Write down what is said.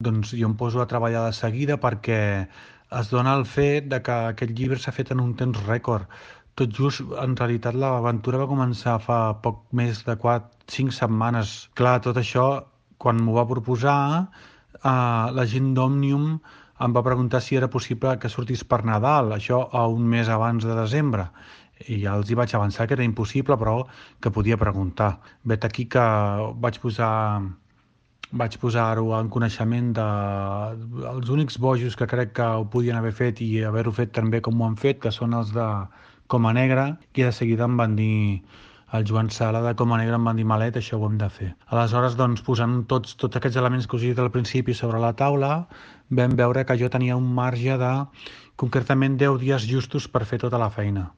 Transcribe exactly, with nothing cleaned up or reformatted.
Doncs jo em poso a treballar de seguida perquè es dona el fet de que aquest llibre s'ha fet en un temps rècord. Tot just, en realitat, l'aventura va començar fa poc més de quatre, cinc setmanes. Clar, tot això, quan m'ho va proposar, eh, la gent d'Òmnium em va preguntar si era possible que sortís per Nadal, això a un mes abans de desembre. I ja els hi vaig avançar que era impossible, però que podia preguntar. Vet aquí que vaig posar vaig posar-ho en coneixement de els únics bojos que crec que ho podien haver fet i haver-ho fet tan bé com ho han fet, que són els de Coma Negra, i de seguida em van dir el Joan Sala de Coma Negra em van dir Malet, això ho hem de fer. Aleshores, doncs, posant tots, tots aquests elements que us he dit al principi sobre la taula, vam veure que jo tenia un marge de concretament deu dies justos per fer tota la feina.